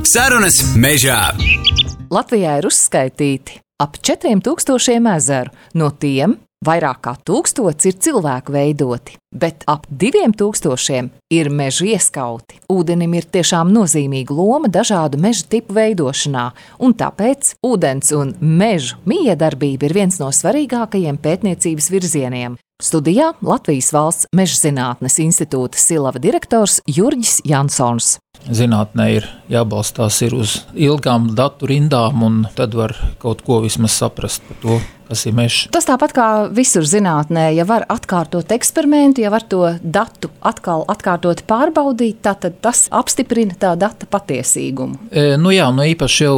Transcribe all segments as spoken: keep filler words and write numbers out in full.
Sarunas mežā. Latvijā ir uzskaitīti ap četriem tūkstošiem ezeru, no tiem vairāk kā tūkstots ir cilvēku veidoti, bet ap diviem tūkstošiem ir mežu ieskauti. Ūdenim ir tiešām nozīmīga loma dažādu mežu tipu veidošanā, un tāpēc ūdens un mežu mijiedarbība ir viens no svarīgākajiem pētniecības virzieniem. Studijā Latvijas Valsts Mežzinātnes institūta Silava direktors Jurģis Jansons. Zinātnē ir jābalstās ir uz ilgām datu rindām, un tad var kaut ko vismaz saprast par to, kas ir mežs. Tas tāpat kā visur zinātnē, ja var atkārtot eksperimentu, ja var to datu atkal atkārtot pārbaudīt, tad tas apstiprina tā data patiesīgumu. E, nu jā, nu īpaši jau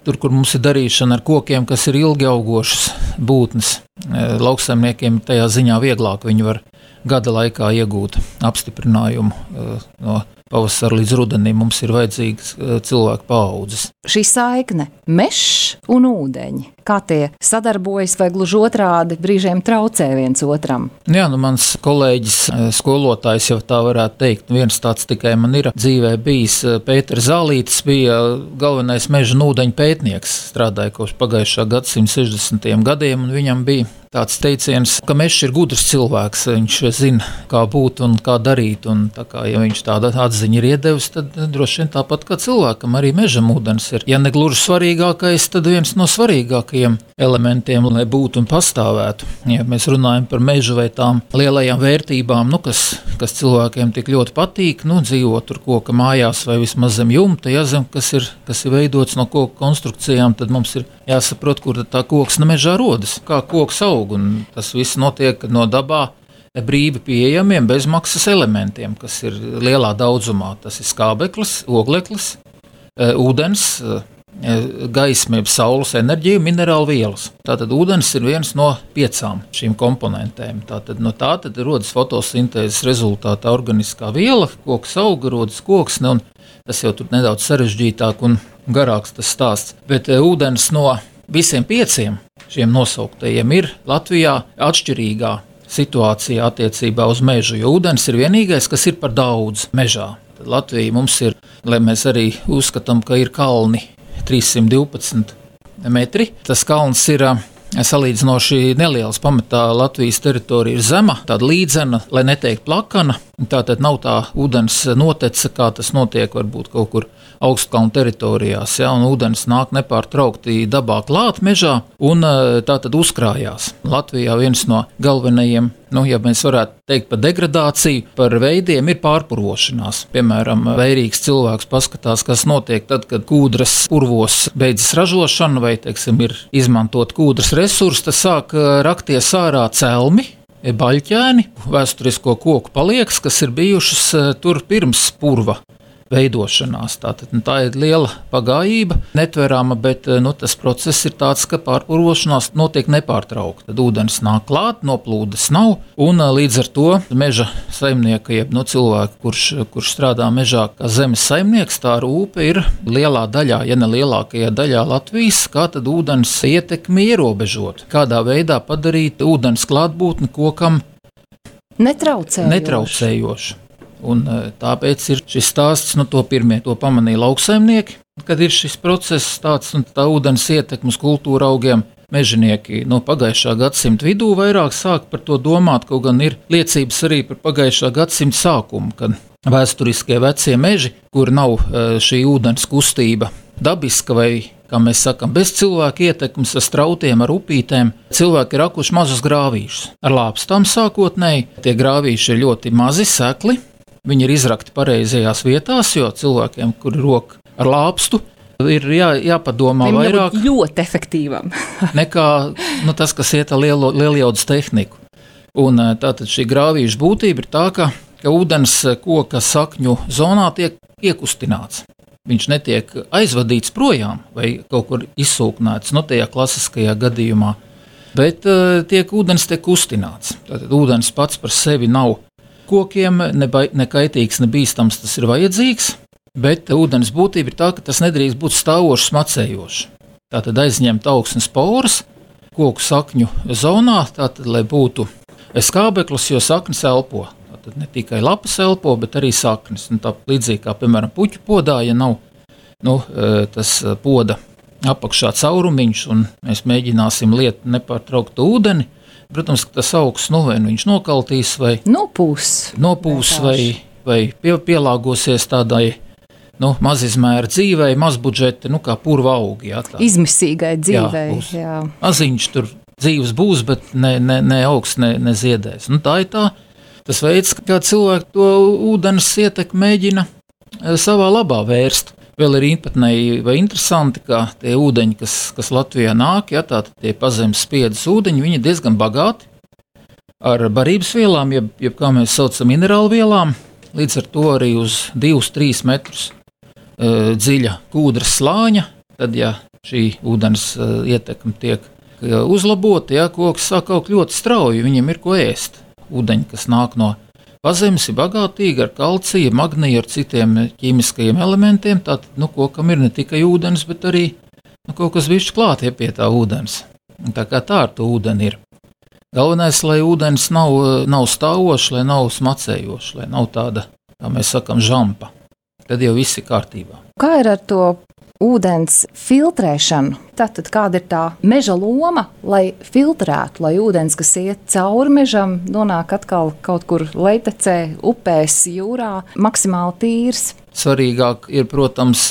tur, kur mums ir darīšana ar kokiem, kas ir ilgi augošas būtnes. E, lauksaimniekiem tajā ziņā vieglāk, viņi var gada laikā iegūt apstiprinājumu e, no pavasara līdz rudenim. Mums ir vajadzīgas cilvēku paaudzes. Šī saikne mežs un ūdeņi, kā tie sadarbojas vai gluži otrādi brīžiem traucē viens otram? Jā, nu mans kolēģis, skolotājs jau tā varētu teikt, viens tāds tikai man ir dzīvē bijis. Pēters Zālītis bija galvenais meža un ūdeņu pētnieks, strādāja kopš pagājušā gadsimta sešdesmitajiem gadiem, un viņam bija tāds teiciens, ka mežs ir gudrs cilvēks, viņš zina, kā būt un kā darīt, un tā kā, ja viņš tāda atziņa ir iedevis, tad droši vien tāpat kā cilvēkam arī mežam ūdens ir. Ja ne gluži svarīgākais, tad viens no svarīgākajiem elementiem, lai būtu un pastāvētu. Ja mēs runājam par mežu vai tām lielajām vērtībām, nu, kas, kas cilvēkiem tik ļoti patīk, nu, dzīvot tur koka mājās vai vismaz zem jumta, ja zem, kas ir, kas ir veidots no koka konstrukcijām, tad mums ir jāsaprot, kur tā koksne mežā rodas, kā koks aug. Un tas viss notiek no dabā brīvi pieejamiem bezmaksas elementiem, kas ir lielā daudzumā. Tas ir skābeklis, ogleklis, ūdens, gaisma, jeb saules enerģija, minerālu vielas. Tātad ūdens ir viens no piecām šīm komponentēm. Tātad no tā tad rodas fotosintēzes rezultātā organiskā viela, koks auga, rodas koksne, un tas jau tur nedaudz sarežģītāk un garāks tas stāsts. Bet ūdens no visiem pieciem šiem nosauktajiem ir Latvijā atšķirīgā situācijā attiecībā uz mežu, jo ūdens ir vienīgais, kas ir par daudz mežā. Tad Latvija mums ir, lai mēs arī uzskatām, ka ir kalni trīssimt divpadsmit metri. Tas kalns ir salīdzinoši neliels, pamatā Latvijas teritorija ir zema, tāda līdzena, lai neteikt plakana. Tātad nav tā ūdens notece, kā tas notiek varbūt kaut kur augstkalnu teritorijās, ja, un ūdens nāk nepārtraukti dabā klāt mežā un tātad uzkrājās. Latvijā viens no galvenajiem, nu, ja mēs varētu teikt par degradāciju, par veidiem ir pārpurošanās. Piemēram, vērīgs cilvēks paskatās, kas notiek tad, kad kūdras purvos beidzas ražošana vai, teiksim, ir izmantot kūdras resursi, tas sāk rakties ārā celmi, baļķēni, vēsturisko koku palieks, kas ir bijušas tur pirms purva veidošanās. Tātad, nu, tā ir liela pagājība, netverama, bet nu, tas process ir tāds, ka pārpurošanās notiek nepārtraukti. Tad ūdens nāk klāt, noplūdes nav, un līdz ar to meža saimnieka, jeb nu, cilvēku, kurš, kurš strādā mežā kā zemes saimnieks, tā rūpe ir lielā daļā, ja ne lielākajā daļā Latvijas, kā tad ūdens ietekmi ierobežot. Kādā veidā padarīt ūdens klātbūtni kokam netraucējoši. netraucējoši. Un tāpēc ir šis stāsts, nu to pirmie to pamanīja lauksaimnieki, kad ir šis process tāds un tā ūdens ietekmes kultūra augiem. Mežinieki no pagājušā gadsimta vidū vairāk sāk par to domāt, kaut gan ir liecības arī par pagājušā gadsimta sākumu, kad vēsturiskie vecie meži, kur nav šī ūdens kustība dabiska vai, kā mēs sakam, bez cilvēku ietekmes ar strautiem, ar upītēm, cilvēki ir rakuši mazus grāvīšus. Ar lāpstām sākotnēji, tie grāvīši ir ļoti mazi, sekli. Viņi ir izrakti pareizajās vietās, jo cilvēkiem, kuri rok ar lāpstu, ir jā, jāpadomā Viņam vairāk ļoti efektīvam. nekā nu, tas, kas iet ar lielo, lielijaudas tehniku. Un tātad šī grāvīša būtība ir tā, ka, ka ūdens koka sakņu zonā tiek iekustināts. Viņš netiek aizvadīts projām vai kaut kur izsūknēts, no tajā klasiskajā gadījumā, bet uh, tiek ūdens tiek kustināts. Tātad ūdens pats par sevi nav kokiem, ne, ne kaitīgs, ne bīstams, tas ir vajadzīgs, bet ūdens būtība ir tā, ka tas nedrīkst būt stāvošs, smacējošs. Tātad aizņemt augsnes poras koku sakņu zonā, tātad, lai būtu skābeklis, jo saknes elpo. Tātad ne tikai lapas elpo, bet arī saknes. Un tā līdzīgi kā, piemēram, puķu podā, ja nav nu, tas poda apakšā caurumiņš, un mēs mēģināsim liet nepārtrauktu ūdeni. Protams, ka tas augsts, nu, vai viņš nokaltīs, vai nopūs, nopūs vai, vai pie, pielāgosies tādai nu, mazizmēra dzīvei, mazbudžeti, nu, kā purva augi. Jā, tā. Izmisīgai dzīvei. Jā, jā. Maziņš tur dzīves būs, bet ne, ne, ne augsts, ne, ne ziedēs. Nu, tā ir tā, tas veids, kā cilvēki to ūdens ietekmi mēģina savā labā vērst. Vēl ir īpatnēji vai interesanti, ka tie ūdeņi, kas, kas Latvijā nāk, ja, tātad tie pazemes spiedzes ūdeņi, viņi ir diezgan bagāti ar barības vielām, jeb, jeb kā mēs saucam minerālu vielām, līdz ar to arī uz divus līdz trīs metrus uh, dziļa kūdras slāņa. Tad, ja šī ūdens uh, ietekme tiek uh, uzlabota, ja, koks sāk augt ļoti strauji, viņiem ir ko ēst. Ūdeņi, kas nāk no pazemes, ir bagātīgi ar kalciju, magniju, ar citiem ķīmiskajiem elementiem. Tātad, nu, kokam ir ne tikai ūdens, bet arī nu, kaut kas bišķi klāt ja, pie tā ūdens. Un tā kā tā ar to ūdeni ir. Galvenais, lai ūdens nav, nav stāvošs, lai nav smacējošs, lai nav tāda, kā mēs sakam, žampa. Tad jau viss ir kārtībā. Kā ir ar to ūdens filtrēšanu? Tātad kāda ir tā meža loma, lai filtrētu, lai ūdens, kas iet cauri mežam, nonāk atkal kaut kur lejtecē, upēs, jūrā, maksimāli tīrs? Svarīgāk ir, protams,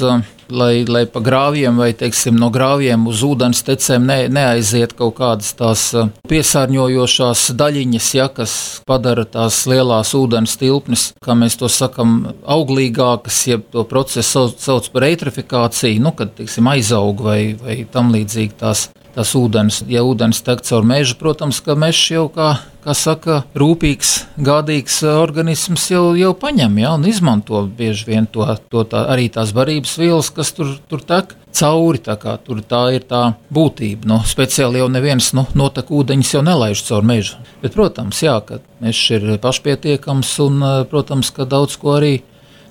lai, lai pa grāviem vai, teiksim, no grāviem uz ūdens tecēm ne, neaiziet kaut kādas tās piesārņojošās daļiņas, ja, kas padara tās lielās ūdens tilpnes, kā mēs to sakam, auglīgākas, ja to procesu sauc, sauc par eitrifikāciju, nu, kad, teiksim, aizaug vai, vai tam līdzīgi tās, tās ūdens. Ja ūdens tek caur mežu, protams, ka mežs jau, kā, kā saka, rūpīgs, gādīgs organisms jau, jau paņem, ja, un izmanto bieži vien to, to tā, arī tās barības vielas, kas tur, tur tek cauri, tā kā tur tā ir tā būtība. Nu, speciāli jau neviens nu, notek ūdeņus jau nelaiž caur mežu. Bet, protams, jā, ka mežs ir pašpietiekams un, protams, ka daudz ko arī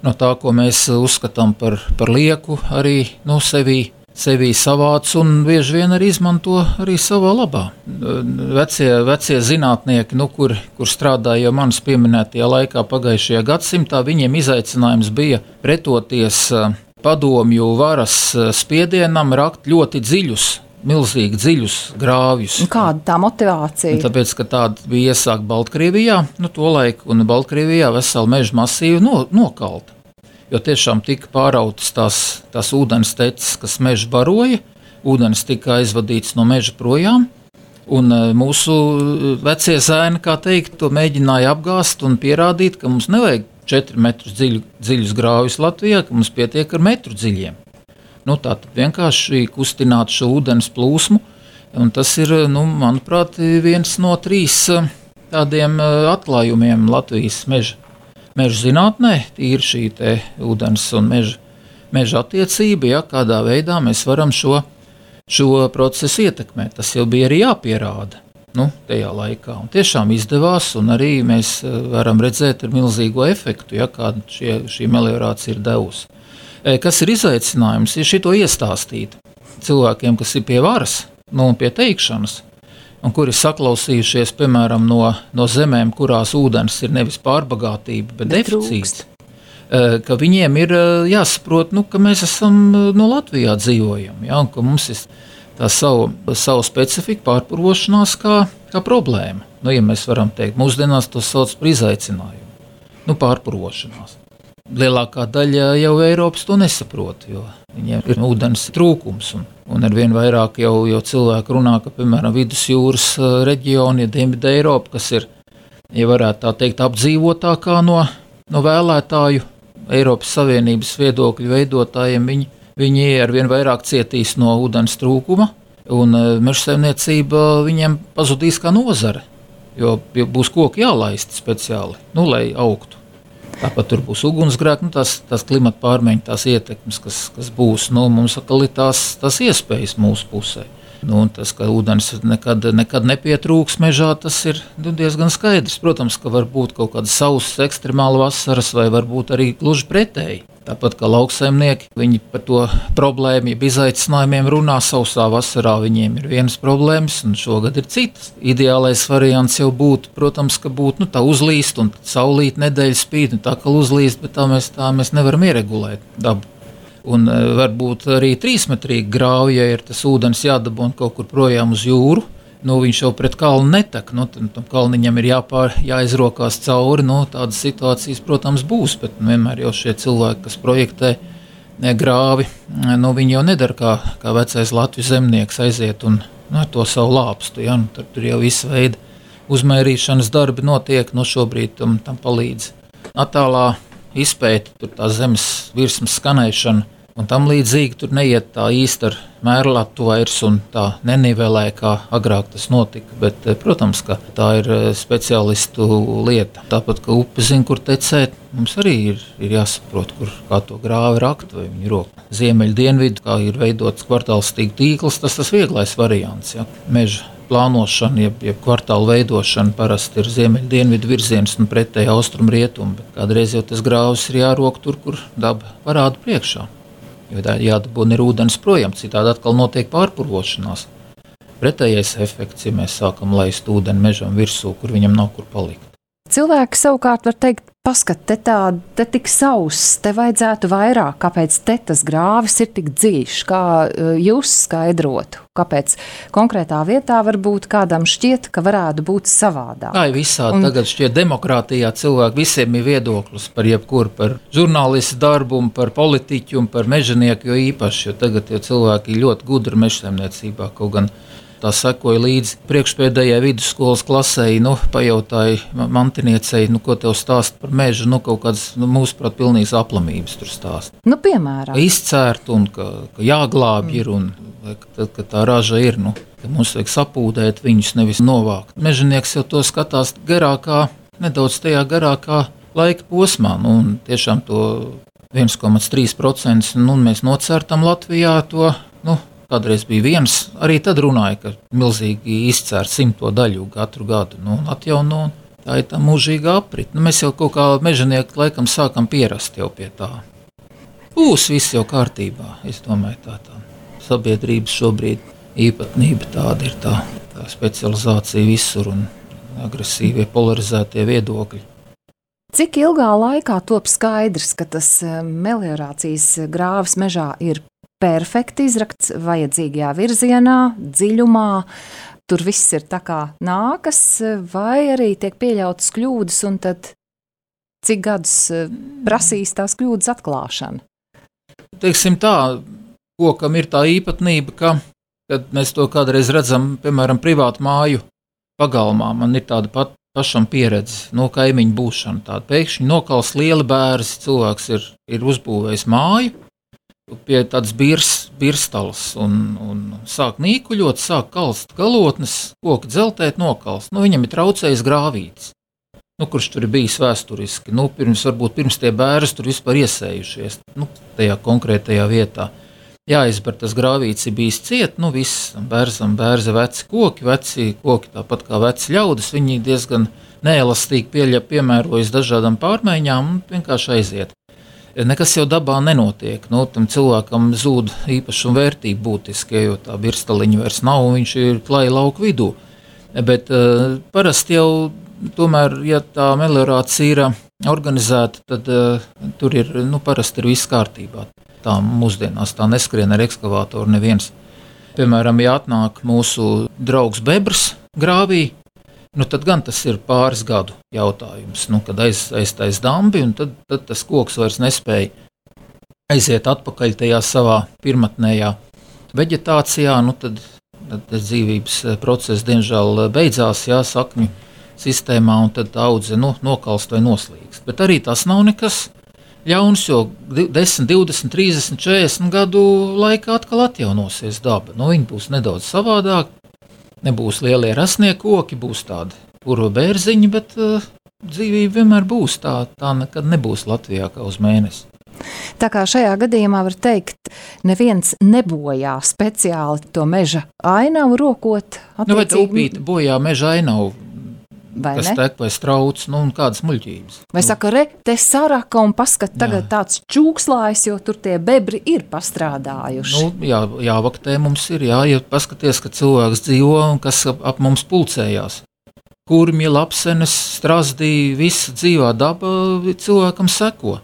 no tā, ko mēs uzskatām par, par lieku, arī nu, sevī sevi savāc un bieži vien arī izmanto arī savā labā. Vecie, vecie zinātnieki, nu, kur, kur strādāja jau manis pieminētajā laikā pagājušajā gadsimtā, viņiem izaicinājums bija pretoties padomju varas spiedienam, rakt ļoti dziļus, milzīgi dziļus grāvjus. Kāda tā motivācija? Un tāpēc, ka tāda bija iesākt Baltkrievijā, nu, to laiku, un Baltkrievijā vesela meža masīva no, nokalta. Jo tiešām tika pārautas tās, tās ūdens teces, kas mežu baroja, ūdens tika aizvadīts no meža projām, un mūsu vecie zēni, kā teikt, to mēģināja apgāst un pierādīt, ka mums nevajag četri metrus dziļu, dziļus grāvjus Latvijā, ka mums pietiek ar metru dziļiem. Nu, tātad vienkārši kustināt šo ūdens plūsmu, un tas ir, nu, manuprāt, viens no trīs tādiem atklājumiem Latvijas meža. Meža zinātnē ir šī te ūdens un meža, meža attiecība, ja, kādā veidā mēs varam šo, šo procesu ietekmēt. Tas jau bija arī jāpierāda nu, tajā laikā. Un tiešām izdevās, un arī mēs varam redzēt ar milzīgo efektu, ja, kādu šie, šī meliorācija ir devusi. Kas ir izaicinājums, ir šito iestāstīt cilvēkiem, kas ir pie varas, nu, un pie teikšanas, un kuri saklausījušies, piemēram, no, no zemēm, kurās ūdens ir nevis pārbagātība, bet, bet deficīts, ka viņiem ir jāsaprot, nu, ka mēs esam no Latvijā dzīvojam, ja, un ka mums ir tā savu, savu specifiku pārpurošanās kā, kā problēma. Nu, ja mēs varam teikt, mūsdienās to sauc par izaicinājumu, nu, pārpurošanās. Lielākā daļa jau Eiropas to nesaprot, jo viņiem ir ūdens trūkums. Un, un ar vien vairāk jau, jau cilvēku runā, ka, piemēram, vidusjūras reģioni, Dienvidu Eiropa, kas ir, ja varētu tā teikt, apdzīvotākā no, no vēlētāju Eiropas Savienības viedokļu veidotājiem, viņi, viņi ar vien vairāk cietīs no ūdens trūkuma, un mežsaimniecība viņiem pazudīs kā nozare, jo būs koki jālaist speciāli, nu, lai augtu. Tāpat tur būs ugunsgrēki, nu, tās, tās klimata pārmaiņas, tās ietekmes, kas, kas būs. Nu, mums atkal ir tās, tās iespējas mūsu pusē. Nu, tas, ka ūdens nekad, nekad nepietrūks mežā, tas ir nu, diezgan skaidrs. Protams, ka var būt kaut kādas sausas, ekstremāla vasaras, vai varbūt arī gluži pretēji. Tāpat kā lauksaimnieki, viņi par to problēmu, ja izaicinājumiem runā sausā vasarā, viņiem ir vienas problēmas, un šogad ir citas. Ideālais variants jau būtu, protams, ka būtu nu, tā uzlīst, un saulīt nedēļa spīd, un tā kā uzlīst, bet tā mēs, tā mēs nevaram ieregulēt dabu. Un varbūt arī trīsmetrīgi grāvi, ja ir tas ūdens jādabūna kaut kur projām uz jūru. Nu, viņš jau pret kalnu netek, nu, tam kalniņam ir jāpār, jāizrokās cauri, nu, tādas situācijas, protams, būs, bet nu, vienmēr jau šie cilvēki, kas projektē grāvi, nu, viņi jau nedara kā, kā vecais Latvijas zemnieks aiziet un nu, ar to savu lāpstu, ja, nu, tur, tur jau visu veidu uzmērīšanas darbi notiek, nu, šobrīd tam, tam palīdz attālā izpēta, tur tā zemes virsmas skanēšana, un tam līdzīgi tur neiet tā īsti ar mērlatu vairs un tā nenivelē, kā agrāk tas notika. Bet, protams, ka tā ir speciālistu lieta. Tāpat, ka upe zina, kur tecēt, mums arī ir, ir jāsaprot, kur kā to grāvi rakt vai viņu roku. Ziemeļu dienvidu, kā ir veidots kvartālstīgu tīkls, tas tas vieglais variants, ja. Meža plānošana, jeb, jeb kvartālu veidošana parasti ir ziemeļu dienvidu virziens un pretēji austrumu rietumu, bet kādreiz jau tas grāvis ir jārok tur, kur daba parāda priekšā. Jo jādabūna ir ūdens projām, citādi atkal notiek pārpurvošanās. Pretējais efekts, ja mēs sākam laist ūdeni mežam virsū, kur viņam nav kur palikt. Cilvēki savukārt var teikt, paskat, te tā, te tik sauss, te vajadzētu vairāk, kāpēc te tas grāvis ir tik dziļš, kā jūs skaidrotu, kāpēc konkrētā vietā varbūt kādam šķiet, ka varētu būt savādāk. Tā ir visādi, un tagad šķiet demokrātijā cilvēki visiem ir viedoklis par jebkuru, par žurnālistu darbu, par politiķu un par mežanieku, jo īpaši, jo tagad jau cilvēki ir ļoti gudri mežsaimniecībā, kaut gan tā sekoja līdzi priekšpēdējai vidusskolas klasei, nu, pajautāja mantiniecei, nu, ko tev stāst par mežu, nu, kaut kāds, nu, mūsuprāt, pilnīgs aplamības tur stāst. Nu, piemēram. Izcērt un ka, ka jāglābj ir un ka, ka tā raža ir, nu, ka mums vajag sapūdēt viņus, nevis novākt. Mežanieks jau to skatās garākā, nedaudz tajā garākā laika posmā, nu, un tiešām to viens komats trīs procenti, nu, mēs nocērtam Latvijā to, nu, kādreiz bija viens, arī tad runāja, ka milzīgi izcērt simto daļu katru gadu, nu, atjauno, tā ir tā mūžīga aprit. Nu, mēs jau kaut kā mežanieki laikam sākam pierast jau pie tā. Būs viss jau kārtībā, es domāju, tā tā. Sabiedrības šobrīd īpatnība tāda ir tā, tā specializācija visur un agresīvie polarizētie viedokļi. Cik ilgā laikā top skaidrs, ka tas meliorācijas grāvis mežā ir perfekti izrakts vajadzīgajā virzienā, dziļumā, tur viss ir tā kā nākas, vai arī tiek pieļautas kļūdas, un tad cik gadus prasīs tās kļūdas atklāšana? Teiksim tā, kokam ir tā īpatnība, ka, kad mēs to kādreiz redzam, piemēram, privātu māju pagalmā, man ir tāda pat pašam pieredze, no kaimiņu būšana tāda. Pēkšņi nokals lieli bērzi, cilvēks ir, ir uzbūvējis māju, pie tādas birs, birstalas un, un sāk nīkuļot, sāk kalst galotnes, koki dzeltēt, nokalst. Nu, viņam ir traucējis grāvītis, nu, kurš tur ir bijis vēsturiski. Nu, pirms, varbūt pirms tie bērzi tur vispār iesējušies, nu, tajā konkrētajā vietā. Jāizber tas grāvītis ir bijis ciet, nu, viss bērzam, bērza veci koki, veci koki tāpat kā veci ļaudis, viņi diezgan neelastīgi pieļa, piemērojas dažādām pārmaiņām un vienkārši aiziet. Nekas jau dabā nenotiek. Nu, tam cilvēkam zūd īpašuma vērtība būtiski, jo tā birstaliņa vairs nav, un viņš ir klāja lauku vidū. Bet uh, parasti jau tomēr, ja tā meliorācija ir organizēta, tad uh, tur ir, nu, parasti ir viss kārtībā. Tā mūsdienās tā neskrien ar ekskavātoru neviens. Piemēram, ja atnāk mūsu draugs bebrs grāvī, nu, tad gan tas ir pāris gadu jautājums, nu, kad aiz, aiztais dambi, un tad, tad tas koks vairs nespēja aiziet atpakaļ tajā savā pirmatnējā veģetācijā, nu, tad, tad dzīvības process diemžēl beidzās, jā, sakņu sistēmā, un tad audze, nu, nokalst vai noslīgst. Bet arī tas nav nekas ļauns, jo desmit, divdesmit, trīsdesmit, četrdesmit gadu laikā atkal atjaunosies daba. Nu, viņi būs nedaudz savādāk. Nebūs lielie rasnie koki, būs tādi puro bērziņi, bet uh, dzīvība vienmēr būs tā, tā nekad nebūs Latvijā kā uz mēnesi. Tā kā šajā gadījumā var teikt, neviens nebojā speciāli to meža ainavu rokot. Nu, vai tā upīte bojā meža ainavu, vai kas ne? tek vai strauc, nu, un kādas muļķības. Vai saka, re, te saraka un paskat tagad jā. Tāds čūkslājs, jo tur tie bebri ir pastrādājuši. Nu, jā, jāvaktē mums ir, jā, ja paskaties, ka cilvēks dzīvo un kas ap, ap mums pulcējās. Kurmi, lapsenes, strazdī, visa dzīvā daba cilvēkam seko.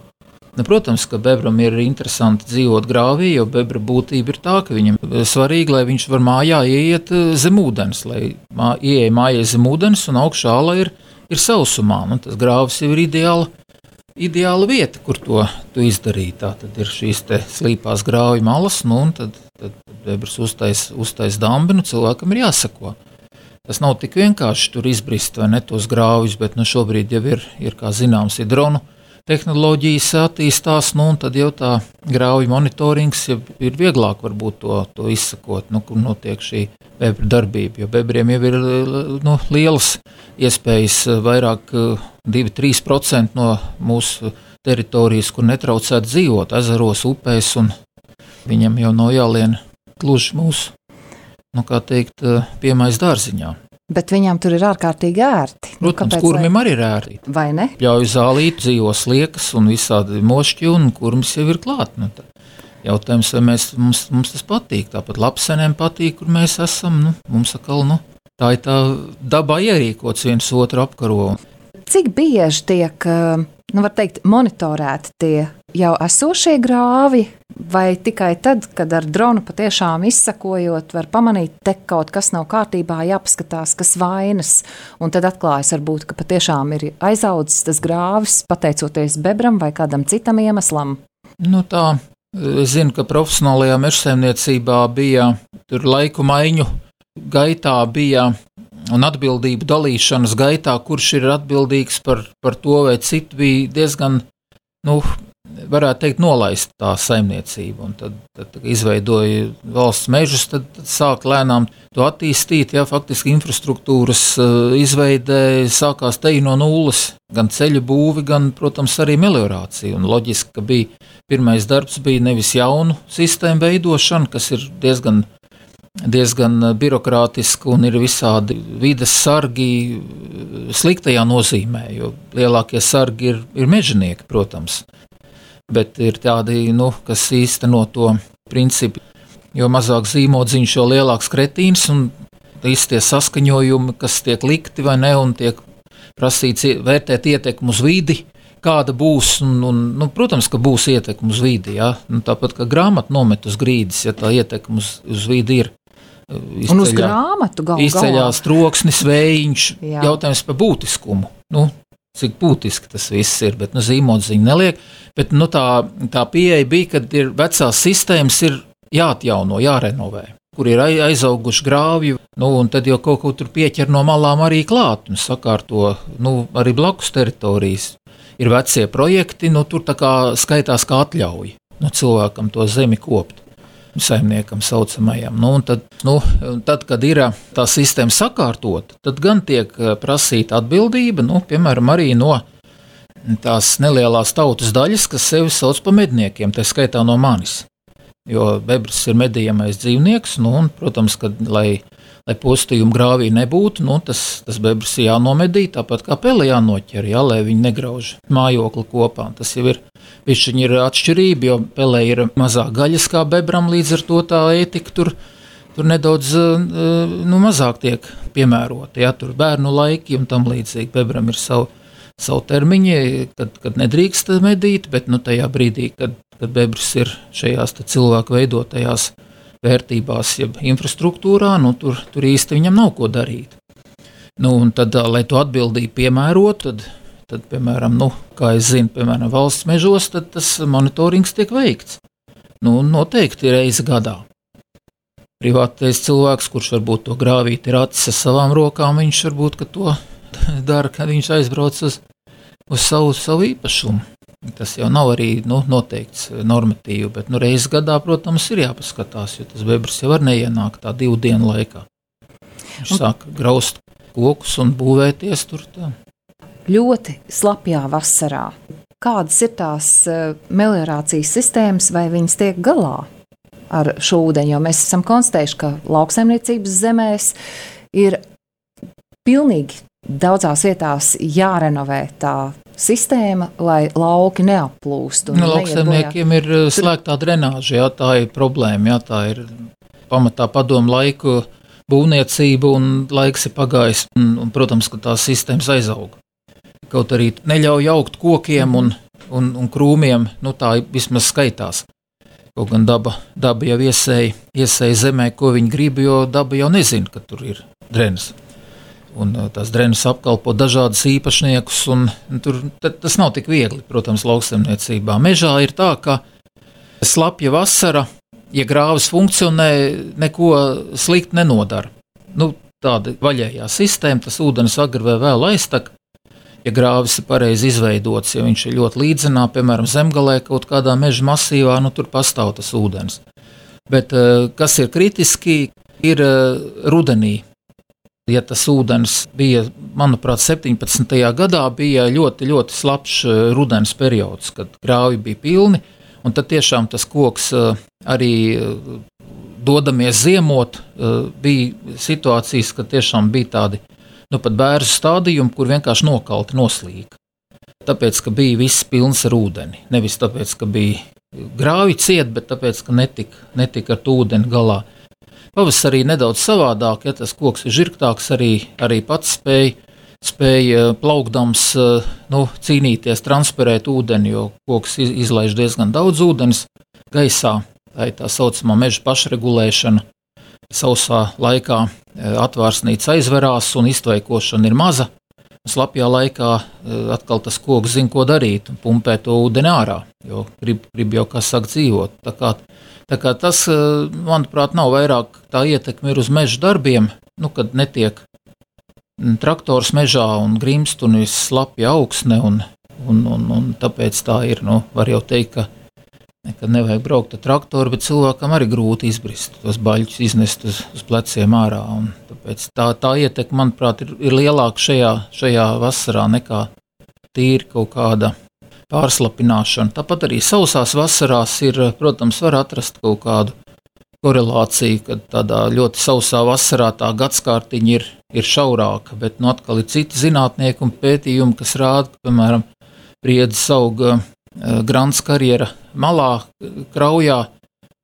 Nu, protams, ka bebram ir interesanti dzīvot grāvī, jo bebra būtība ir tā, ka viņam svarīgi, lai viņš var mājā ieiet zem ūdens, lai mā, ieeja mājai zem ūdens un augšā ala ir, ir sausumā. Nu, tas grāvis jau ir ideāla, ideāla vieta, kur to, to izdarīt. Tā tad ir šīs te slīpās grāvju malas, nu, un tad, tad bebras uztais, uztais dambi, nu, cilvēkam ir jāsako. Tas nav tik vienkārši tur izbrist vai ne tos grāvjus, bet nu, šobrīd jau ir, ir, kā zināms, ir dronu tehnoloģijas attīstās, nu, un tad jau tā grāvju monitorings jau ir vieglāk varbūt to, to izsakot, nu, kur notiek šī bebra darbība, jo bebriem jau ir nu, lielas iespējas, vairāk divi līdz trīs procenti no mūsu teritorijas, kur netraucētu dzīvot, ezeros, upēs, un viņam jau nav jālien gluži mūsu, nu, kā teikt, piemais dārziņā. Bet viņam tur ir ārkārtīgi ērti. Protams, nu, kurmim lai... arī ir ērti. Vai ne? Ļauj zālīt, dzīvo sliekas un visādi mošķi, un kurmis jau ir klāt. Nu, jautājums, vai mēs, mums, mums tas patīk. Tāpat lapsenēm patīk, kur mēs esam. Nu, mums atkal, nu, tā ir tā dabā ierīkots viens otru apkaro. Cik bieži tiek, nu, var teikt, monitorēti tie jau esošie grāvi, vai tikai tad, kad ar dronu patiešām izsakojot, var pamanīt, te kaut kas nav kārtībā, jāpaskatās, kas vainas, un tad atklājas varbūt, ka patiešām ir aizaudzis tas grāvis, pateicoties bebram vai kādam citam iemeslam? Nu tā, es zinu, ka profesionālajā mežsaimniecībā bija tur laiku maiņu gaitā bija un atbildību dalīšanas gaitā, kurš ir atbildīgs par, par to vai citu, bija diezgan, nu, varētu teikt, nolaist tā saimniecība. Un tad, tad izveidoja valsts mežus, tad, tad sāk lēnām to attīstīt. Jā, faktiski infrastruktūras uh, izveidē sākās te no nulles. Gan ceļu būvi, gan, protams, arī meliorācija. Un loģiski, ka bija pirmais darbs bija nevis jaunu sistēmu veidošana, kas ir diezgan diezgan birokrātiski un ir visādi vides sargi sliktajā nozīmē, jo lielākie sargi ir, ir mežonieki, protams. Bet ir tādi, nu, kas īsteno to principu, jo mazāk zīmodziņš, jo lielāks kretīns, un visi tie saskaņojumi, kas tiek likti vai ne, un tiek prasīts vērtēt ietekmu uz vidi, kāda būs, un, un nu, protams, ka būs ietekme uz vidi, jā. Nu, tāpat kā grāmatu nomet uz grīdas, ja tā ietekme uz, uz vidi ir. Izceļā, un uz grāmatu galvā. Izceļās troksnis, vējiņš, jā. Jautājums par būtiskumu. Nu, cik būtiski tas viss ir, bet nu, zīmodziņu neliek. Bet nu, tā, tā pieeja bija, kad ir vecās sistēmas ir jāatjauno, jārenovē, kur ir aizauguši grāvju, nu, un tad jau kaut ko tur pieķer no malām arī klāt un sakārto, nu, arī blakus teritorijas. Ir vecie projekti, nu, tur tā kā skaitās kā atļauj, nu, cilvēkam to zemi kopt. Saimniekam saucamajam. Nu, un tad, nu, tad, kad ir tā sistēma sakārtota, tad gan tiek prasīta atbildība, nu, piemēram, arī no tās nelielās tautas daļas, kas sevi sauc pa medniekiem, tā skaitā no manis. Jo bebrs ir medījamais dzīvnieks, nu, un, protams, kad, lai, lai postījumu grāvī nebūtu, nu, tas, tas bebrs ir jānomedī, tāpat kā pele jānoķer, jā, lai viņi negrauž mājokli kopā. Tas jau ir Višķiņi ir atšķirība, jo pelē ir mazāk gaļas kā bebram, līdz ar to tā ētika tur, tur nedaudz nu, mazāk tiek piemērota. Ja, tur bērnu laiki un tam līdzīgi. Bebram ir savu, savu termiņi, kad, kad nedrīkst medīt, bet nu, tajā brīdī, kad, kad bebrs ir šajās cilvēku veidotajās vērtībās, jeb infrastruktūrā, nu, tur, tur īsti viņam nav ko darīt. Nu, un tad, lai to atbildību piemērot, tad Tad, piemēram, nu, kā es zinu, piemēram, valsts mežos, tad tas monitorings tiek veikts. Nu, noteikti reizi gadā. Privātais cilvēks, kurš varbūt to grāvīt ir acis ar savām rokām, viņš varbūt, ka to dara, kad viņš aizbrauc uz, uz savu, savu īpašumu. Tas jau nav arī, nu, noteikts normatīvi, bet, nu, reizi gadā, protams, ir jāpaskatās, jo tas bebrs jau var neienākt tā divu dienu laikā. Viņš un... sāk graust kokus un būvēties tur tā. Ļoti slapjā vasarā. Kādas ir tās uh, meliorācijas sistēmas, vai viņas tiek galā ar šo ūdeni? Jo mēs esam konstatējuši, ka lauksaimniecības zemēs ir pilnīgi daudzās vietās jārenovē tā sistēma, lai lauki neaplūst. Nu, lauksaimniekiem ir slēgtā drenāža, jā, tā ir problēma, jā, tā ir pamatā padomu laiku būvniecība un laiks ir pagājis, un, un protams, ka tās sistēmas aizauga. Kaut arī neļauj augt kokiem un un, un krūmiem, nu tā vismaz skaitās. Kaut gan daba, daba jau iesēja, iesēja zemē, ko viņi grib, jo daba jau nezina, ka tur ir drenas. Un tās drenas apkalpo dažādas īpašniekus, un tur tas nav tik viegli, protams, lauksaimniecībā. Mežā ir tā, ka slapja vasara, ja grāvis funkcionē, neko slikti nenodara. Nu, tāda vaļējā sistēma, tas ūdens agri vai vēl aiztak. Ja grāvis ir pareizi izveidots, ja viņš ir ļoti līdzenā, piemēram, zemgalē kaut kādā meža masīvā, nu tur pastāv tas ūdens. Bet kas ir kritiski, ir rudenī. Ja tas ūdens bija, manuprāt, septiņpadsmitajā gadā bija ļoti, ļoti slapjš rudens periods, kad grāvi bija pilni, un tad tiešām tas koks arī dodamies ziemot, bija situācijas, kad tiešām bija tādi, nu pat bērzu stādījumi, kur vienkārši nokalti noslīka. Tāpēc, ka bija viss pilns ar ūdeni. Nevis tāpēc, ka bija grāvi ciet, bet tāpēc, ka netika, netika ar ūdeni galā. Pavasarī nedaudz savādāk, ja tas koks ir žirgtāks, arī, arī pats spēja, spēja plaukdams nu, cīnīties, transferēt ūdeni, jo koks izlaiž diezgan daudz ūdens gaisā. Tā ir tā saucamā meža pašregulēšana. Sausā laikā atvārsnīca aizverās un iztvaikošana ir maza. Slapjā laikā atkal tas koks zina, ko darīt un pumpē to ūdeni ārā, jo grib, grib jau, kā saka, dzīvot. Tā kā, tā kā tas, manuprāt, nav vairāk tā ietekme ir uz meža darbiem, nu, kad netiek traktors mežā un grimst un viss slapja augsne, un, un, un, un tāpēc tā ir, nu, var jau teikt, ka nekad nevajag braukt ar traktoru, bet cilvēkam arī grūti izbrist, tos baļķus iznest uz, uz pleciem ārā. Un tāpēc tā, tā ietekme, manuprāt, ir, ir lielāka šajā, šajā vasarā nekā tīri kaut kāda pārslapināšana. Tāpat arī sausās vasarās ir, protams, var atrast kaut kādu korelāciju, kad tādā ļoti sausā vasarā tā gadskārtiņa ir, ir šaurāka, bet nu atkal ir citi zinātnieki un pētījumi, kas rāda, ka, piemēram, briedzis auga Grants karjera malā, kraujā,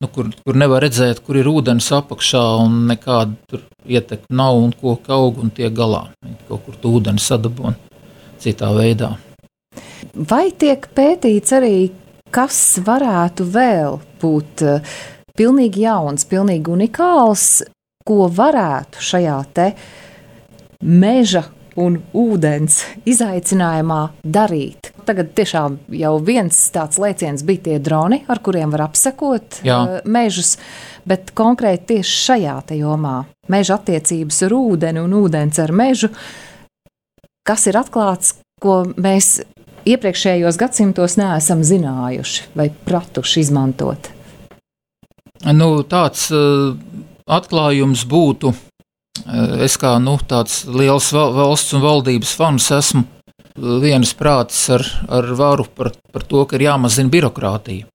nu, kur, kur nevar redzēt, kur ir ūdens apakšā un nekāda tur ietekme nav un koka aug un tiek galā. Kaut kur tu ūdeni sadabon citā veidā. Vai tiek pētīts arī, kas varētu vēl būt pilnīgi jauns, pilnīgi unikāls, ko varētu šajā te meža un ūdens izaicinājumā darīt? Tagad tiešām jau viens tāds lēciens bija tie droni, ar kuriem var apsekot Jā. mežus, bet konkrēti tieši šajā te jomā meža attiecības ar ūdeni un ūdens ar mežu, kas ir atklāts, ko mēs iepriekšējos gadsimtos neesam zinājuši vai pratuši izmantot? Nu, tāds uh, atklājums būtu, uh, es kā nu, tāds liels valsts un valdības fans esmu, vienas prātis ar, ar varu par, par to, ka ir jāmazina birokrātija.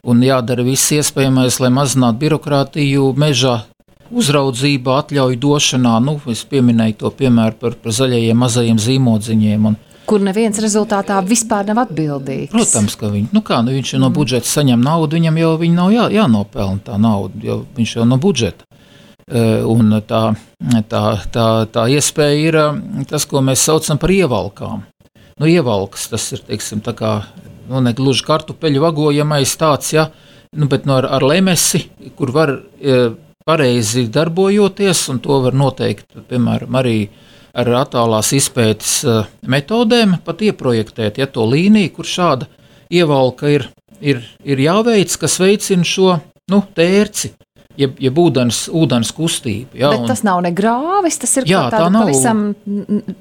Un jādara viss iespējamais, lai mazinātu birokrātiju mežā, uzraudzībā, atļauju došanā. Nu, es pieminēju to piemēru par, par zaļajiem mazajiem zīmodziņiem. Un, kur neviens rezultātā vispār nav atbildīgs. Protams, ka viņi, nu kā, nu viņš no budžeta saņem naudu, viņam jau viņa nav jā, jānopelna tā nauda, jo viņš jau no budžeta. Un tā, tā, tā, tā iespēja ir tas, ko mēs saucam par ievalkām. Nu, ievalkas, tas ir, teiksim, tā kā, nu, ne gluži kartupeļu vagojamais tāds, ja, nu, bet no ar, ar lemesi, kur var e, pareizi darbojoties, un to var noteikt, piemēram, arī ar attālās izpētes e, metodēm, pat ieprojektēt, ja to līniju, kur šāda ievalka ir, ir, ir jāveic, kas veicina šo, nu, tērci. Jeb, jeb ūdens, ūdens kustība. Ja, Bet tas nav ne grāvis, tas ir jā, tāda nav, pavisam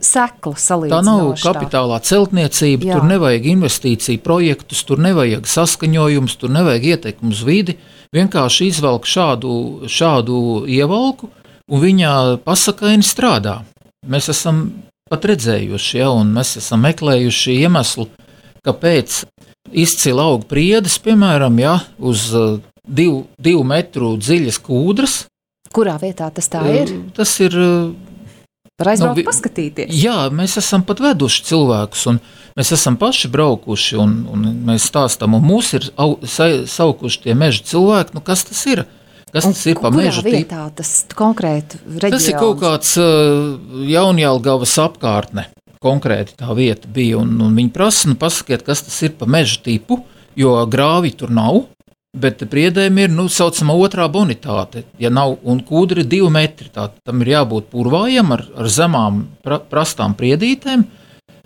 sekla salīdzinoša. Tā nav kapitālā celtniecība, jā. Tur nevajag investīciju projektus, tur nevajag saskaņojums, tur nevajag ietekmi uz vidi. Vienkārši izvelk šādu, šādu ievalku un viņa pasakaini strādā. Mēs esam pat redzējuši, ja, un mēs esam meklējuši iemeslu, kāpēc izcili aug priedes, piemēram, ja, uz Divu, divu metru dziļas kūdras. Kurā vietā tas tā ir? Tas ir... Var aizbraukt nu, paskatīties. Jā, mēs esam pat veduši cilvēkus, un mēs esam paši braukuši, un, un mēs stāstam, un mūs ir au, sa, saukuši tie meža cilvēki, nu kas tas ir? Kas un tas ir pa meža tīpa? Kurā vietā tas konkrēti reģions? Tas ir kaut kāds uh, Jaunjelgavas apkārtne. konkrēti tā vieta bija, un, un viņi prasa, nu pasakiet, kas tas ir pa meža tipu, jo grāvi tur nav, bet priedēm ir, nu, saucamā otrā bonitāte, ja nav, un kūdri ir divi metri, tā tam ir jābūt purvājam ar, ar zemām pra, prastām priedītēm,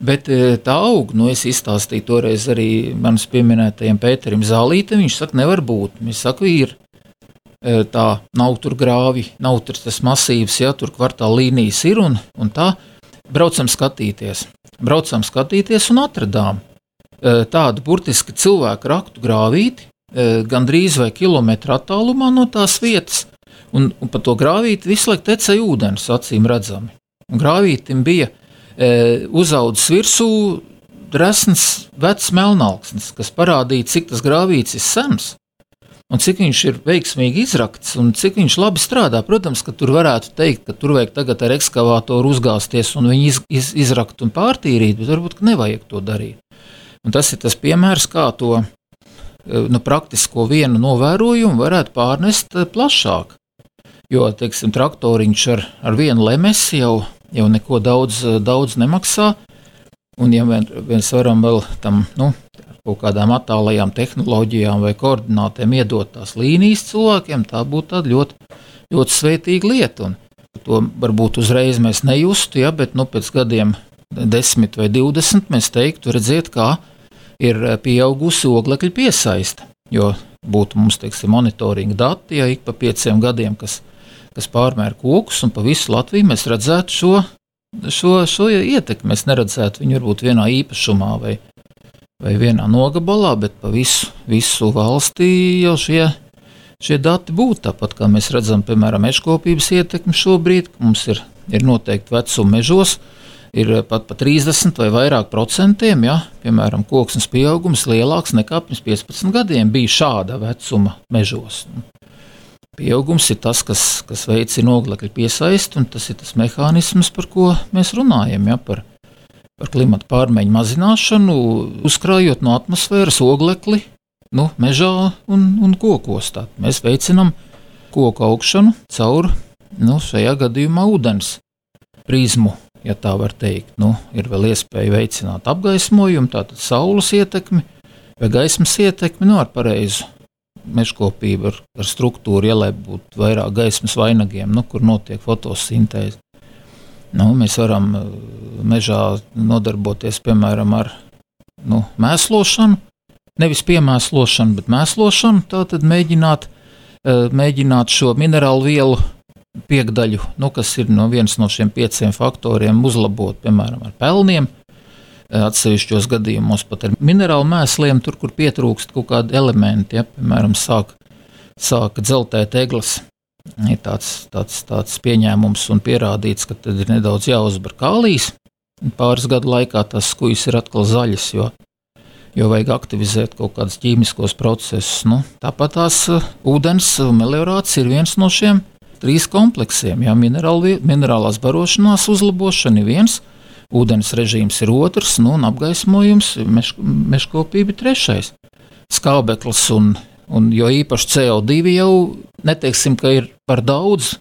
bet tā aug, nu, es izstāstīju toreiz arī manas pieminētajiem Pēterim Zālītem, viņš saka, nevar būt, viņš saka, ir, tā nav tur grāvi, nav tur tas masīvs, ja, tur kvartāla līnijas ir, un, un tā, braucam skatīties, braucam skatīties un atradām tādu burtiski cilvēku raktu grāvīti, gandrīz vai kilometru attālumā no tās vietas, un, un pa to grāvīti visu laiku tecēja ūdens, acīm redzami. Un grāvītim bija e, uzaudzis virsū resns vecs melnalksnis, kas parādīja, cik tas grāvītis ir sens, un cik viņš ir veiksmīgi izrakts, un cik viņš labi strādā. Protams, ka tur varētu teikt, ka tur vajag tagad ar ekskavātoru uzgāzties un viņu iz, iz, izrakt un pārtīrīt, bet varbūt, ka nevajag to darīt. Un tas ir tas piemērs, kā to nu, praktisko vienu novērojumu varētu pārnest plašāk. Jo, teiksim, traktoriņš ar, ar vienu lemesi jau, jau neko daudz, daudz nemaksā, un ja mēs varam vēl tam, nu, kaut kādām attālajām tehnoloģijām vai koordinātēm iedot tās līnijas cilvēkiem, tā būtu tāda ļoti, ļoti svētīga lieta, un to varbūt uzreiz mēs nejustu, ja, bet, nu, pēc gadiem desmit vai divdesmit mēs teiktu, redziet, kā ir pieaugusi oglekļa piesaiste, jo būtu mums, teiksim, monitoringa dati, ja ik pa pieciem gadiem, kas, kas pārmēr kokus, un pa visu Latviju mēs redzētu šo, šo, šo ietekmi. Mēs neredzētu viņu varbūt vienā īpašumā vai, vai vienā nogabalā, bet pa visu, visu valstī jau šie, šie dati būtu. Tāpat kā mēs redzam, piemēram, mežkopības ietekmi šobrīd, mums ir, ir noteikti vecuma mežos, ir pat pa trīsdesmit vai vairāk procentiem, ja, piemēram, koksnes pieaugums lielāks nekā pirms piecpadsmit gadiem bija šāda vecuma mežos. Pieaugums ir tas, kas, kas veicina oglekļa piesaisti, un tas ir tas mehānisms, par ko mēs runājam, ja, par, par klimata pārmaiņu mazināšanu, uzkrājot no atmosfēras oglekli, nu, mežā un, un kokos. Tā. Mēs veicinam koku augšanu caur, nu, šajā gadījumā ūdens prizmu. Ja tā var teikt, nu, ir vēl iespēja veicināt apgaismojumu, tātad saules ietekmi vai gaismas ietekmi, nu, ar pareizu mežkopību, ar, ar struktūru, ja lai būtu vairāk gaismas vainagiem, nu, kur notiek fotosintēze. Nu, mēs varam mežā nodarboties, piemēram, ar, nu, mēslošanu, nevis piemēslošanu, bet mēslošanu, tātad mēģināt, mēģināt šo minerālu vielu piekdaļu, nu, kas ir no viens no šiem pieciem faktoriem uzlabot, piemēram, ar pelniem, atsevišķos gadījumos pat ar minerālu mēsliem, tur, kur pietrūkst kaut kādi elementi, ja, piemēram, sāk, sāk dzeltēt egles, ir tāds, tāds, tāds pieņēmums un pierādīts, ka tad ir nedaudz jāuzbar kālijs, pāris gadu laikā tās skujas ir atkal zaļas, jo, jo vajag aktivizēt kaut kādus ķīmiskos procesus, nu, tāpat tās uh, ūdens meliorācija ir viens no šiem trīs kompleksiem, jā, minerāli, minerālās barošanās uzlabošana ir viens, ūdens režīms ir otrs, nu, un apgaismojums, meš, mežkopība ir trešais. Skābeklis un, un jo īpaši C O divi jau neteiksim, ka ir par daudz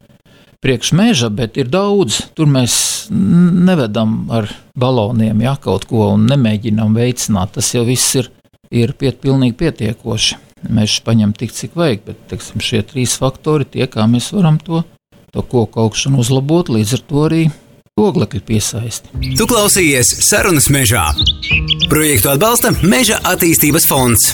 priekš meža, bet ir daudz, tur mēs nevedam ar baloniem, jā, kaut ko un nemēģinām veicināt, tas jau viss ir, ir piet, pilnīgi pietiekoši. Mēs paņem tik, cik vajag, bet, teiksim, šie trīs faktori tie, kā mēs varam to, to koku augšanu uzlabot, līdz ar to arī oglekļa piesaisti. Tu klausījies Sarunas mežā. Projektu atbalsta Meža attīstības fonds.